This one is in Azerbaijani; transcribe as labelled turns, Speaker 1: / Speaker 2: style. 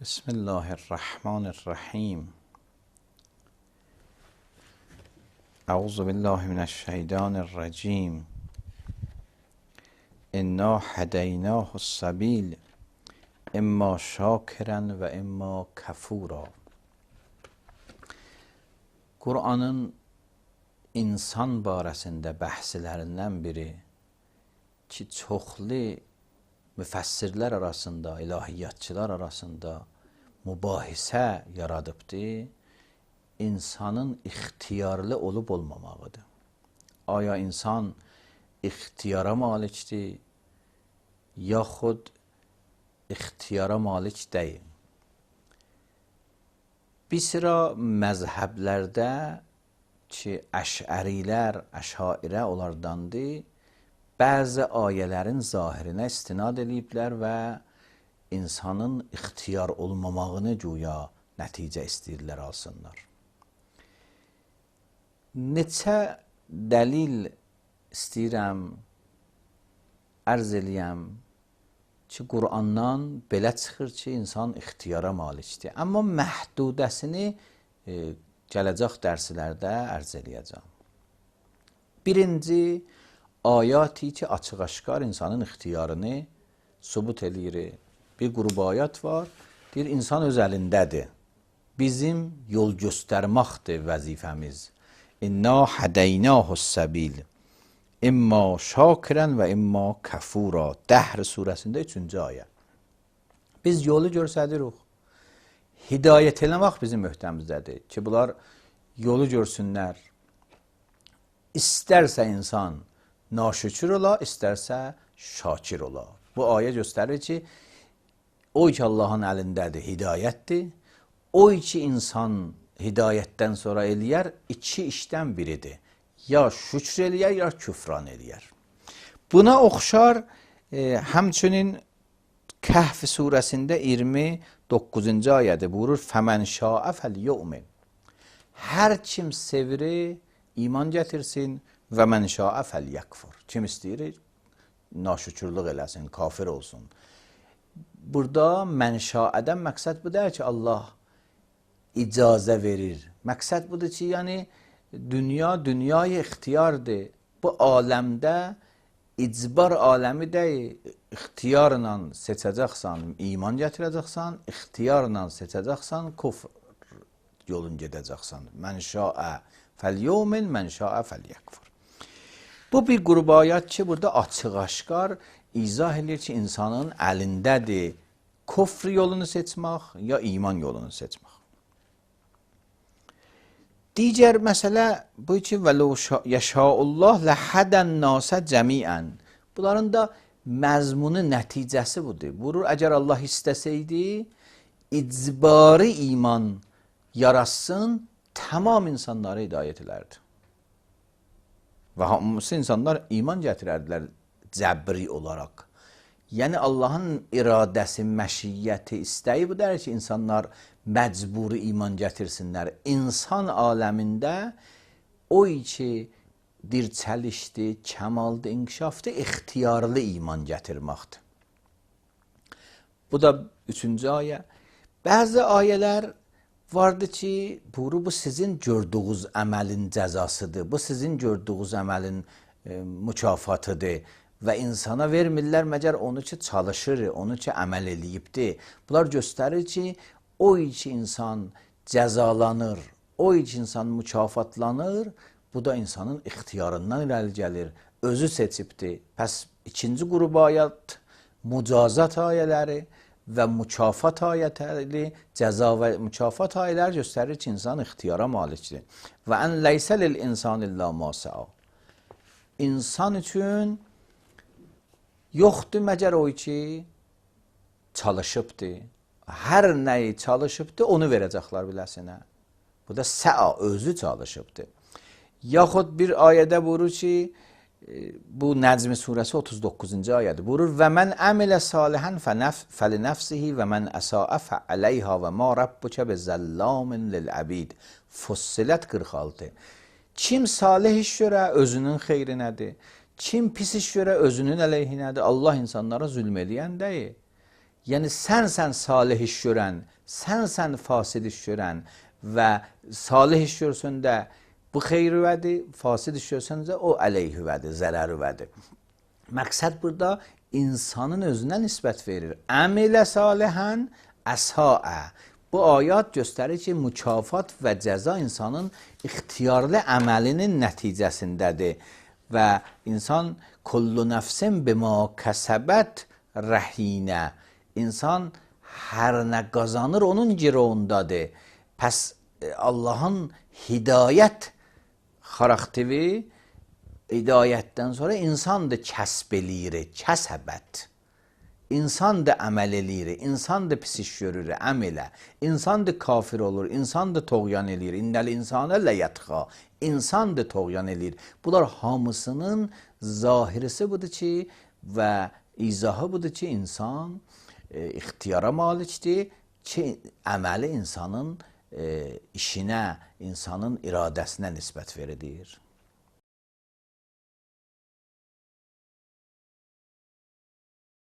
Speaker 1: Bismillahirrahmanirrahim. Euzu billahi mineşşeytanirracim. İnna hedeynahu's-sabil. İmma şakiran ve imma kafura. Qur'anın insan barəsində bəhslərindən biri ki, çoxlu müfəssirlər arasında, ilahiyyatçılar arasında mübahisə yaradıbdır, insanın ixtiyarlı olub olmamağıdır. Aya insan ixtiyara malikdir, yaxud ixtiyara malik deyil. Bir sıra məzhəblərdə ki, əşərilər, əşairə onlardandır, bəzi ayələrin zahirinə istinad ediblər və insanın ixtiyar olmamağını güya nəticə istəyirlər alsınlar. Neçə dəlil istəyirəm, ərz eləyəm ki, Qur'andan belə çıxır ki, insan ixtiyara malikdir. Amma məhdudəsini gələcək dərslərdə ərz eləyəcəm. Birinci, ayati ki, açıq-aşkar insanın ixtiyarını sübut eləyir. Bir qrup ayat var, deyir, insan öz əlindədir. Bizim yol göstərməkdir vəzifəmiz. İnna hədeynahu's-sabil. İmma şakirən və imma kafura. Dəhr surəsində 3-cü ayə. Biz yolu göstəririk. Hidayət eləmək bizim möhtəmizdədir ki, bunlar yolu görsünlər. İstərsə insan naşükür ola, istərsə şakir ola. Bu ayə göstərir ki, o ki Allahın əlindədir, hidayətdir. O ki insan hidayətdən sonra eləyər, iki işdən biridir. Ya şükr eləyər, ya küfran eləyər. Buna oxşar həmçinin Kəhf surəsində 29-cu ayədə buyurur, Fəmən şaə fəlyu'min. Hər kim sevir, iman gətirsin və mən şaə fəlyəkfur. Kim istəyir, naşükürlük eləsin, kafir olsun. Burada mənşaədən məqsəd bu deyir ki, Allah icazə verir. Məqsəd budur ki, yəni dünyayı ixtiyardır. Bu aləmdə icbar aləmi deyil. İxtiyarla seçəcəksən, iman gətirəcəksən, ixtiyarla seçəcəksən, kufr yolun gedəcəksən. Mən şaə fəlyumin, mən şaə fəlyəkfur. Bu bir qrup ayət ki, burada açıq-aşkar izah edir ki, insanın əlindədir kufr yolunu seçmək ya iman yolunu seçmək. Digər məsələ bu ki, vəlau yəşaullah ləhədən nasə cəmiən. Bunların da məzmunu, nəticəsi budur. Buyurur, əgər Allah istəsəydi, icbari iman yaratsın, tamam insanları hidayət edərdi. Və hamısı insanlar iman gətirərdilər cəbri olaraq. Yəni Allahın iradəsi, məşiyyəti, istəyi bu deyir ki, insanlar məcburi iman gətirsinlər. İnsan aləmində o ki, dirçəlişdir, kəmaldır, inkişafdır, ixtiyarlı iman gətirməkdir. Bu da 3-cü ayə. Bəzi ayələr vardı ki, bu sizin gördüğünüz əməlin cəzasıdır, bu sizin gördüğünüz əməlin mükafatıdır və insana vermirlər məgər onu ki çalışır, onu ki əməl eləyibdir. Bunlar göstərir ki, o ki insan cəzalanır, o ki insan mükafatlanır, bu da insanın ixtiyarından irəli gəlir, özü seçibdir. Pəs ikinci qrup ayət mücazat ayələri və mükafat ayətləri, cəza və mükafat ayələri göstərir ki, insan ixtiyara malikdir. Və ən leysə lil insan illa ma sə'a. İnsan üçün yoxdur məgər o ki çalışıbdır. Hər nəyi çalışıbdır, onu verəcəklər biləsinə. Bu da sə'a, özü çalışıbdır. Yaxud bir ayədə buyurur ki, bu Nəcm surəsi 39-cu ayədir. Buyurur, və mən əmilə salihən fəlinəfsihi və mən əsaə fəələyhə və ma rabbukə bezəllamin lil-əbid. Fussilət 46. Kim salih iş görə özünün xeyrinədir. Kim pis iş görə özünün əleyhinədir. Allah insanlara zülm eləyən deyil. Yəni sənsən salih iş görən, sənsən fasid iş görən və salih iş görsəndə bu xeyr-üvədir, fasid iş görsəndə o əleyhüvədir, zərər-üvədir. Məqsəd burada insanın özünə nisbət verir. Əmilə salihən əsaə. Bu ayat göstərir ki, mükafat və cəza insanın ixtiyarlı əməlinin nəticəsindədir və insan kullu nəfsin bima kəsəbət rəhinə. İnsan hər nə qazanır onun girovundadır. Pəs Allahın hidayət xarakteri, hidayətdən sonra insan da kəsb eləyir, kəsəbət. İnsan da əməl eləyir, insan da pis iş görür, əmələ. İnsan da kafir olur, insan da toğyan eləyir. İnnəl insanə ləyətxa. İnsan da toğyan eləyir. Bunlar hamısının zahirisi budur ki və izahı budur ki, insan ixtiyara malikdir ki, əməli insanın işinə, insanın iradəsinə nisbət verilir.